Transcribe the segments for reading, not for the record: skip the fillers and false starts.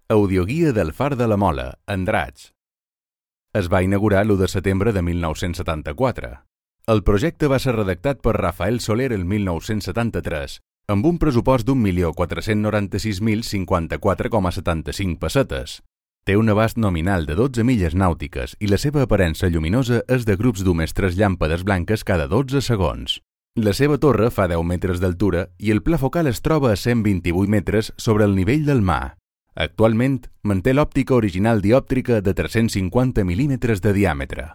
Audioguia del Far de la Mola, Andratx. Es va inaugurar l'1 de setembre de 1974. El projecte va ser redactat per Rafael Soler el 1973, amb un pressupost d'1.496.054,75 pessetes. Té un abast nominal de 12 milles nàutiques i la seva aparença lluminosa és de grups d'unes 3 llàmpades blanques cada 12 segons. La seva torre fa 10 metres d'altura i el pla focal es troba a 128 metres sobre el nivell del mar. Actualment manté l'òptica original diòptrica de 350 mil·límetres de diàmetre.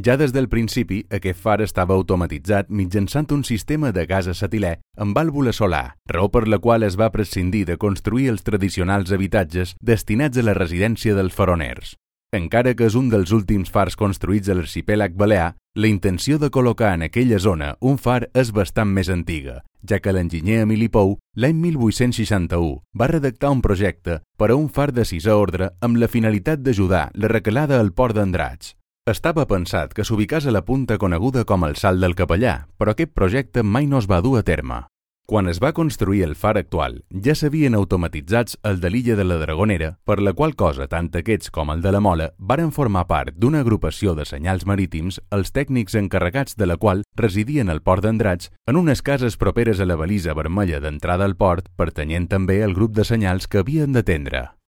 Ja des del principi, aquest far estava automatitzat mitjançant un sistema de gas acetilè amb vàlvula solar, raó per la qual es va prescindir de construir els tradicionals habitatges destinats a la residència dels faroners. Encara que és un dels últims fars construïts a l'arxipèlag balear, la intenció de col·locar en aquella zona un far és bastant més antiga, ja que l'enginyer Emili Pou, l'any 1861, va redactar un projecte per a un far de 6è ordre amb la finalitat d'ajudar la recalada al port d'Andratx. Estava pensat que s'ubicés a la punta coneguda com el Salt del Capellà, però aquest projecte mai no es va dur a terme. Quan es va construir el far actual, ja s'havien automatitzats el de l'illa de la Dragonera, per la qual cosa tant aquests com el de la Mola varen formar part d'una agrupació de senyals marítims, els tècnics encarregats de la qual residien al port d'Andratx en unes cases properes a la balisa vermella d'entrada al port, pertanyent també al grup de senyals que havien d'atendre.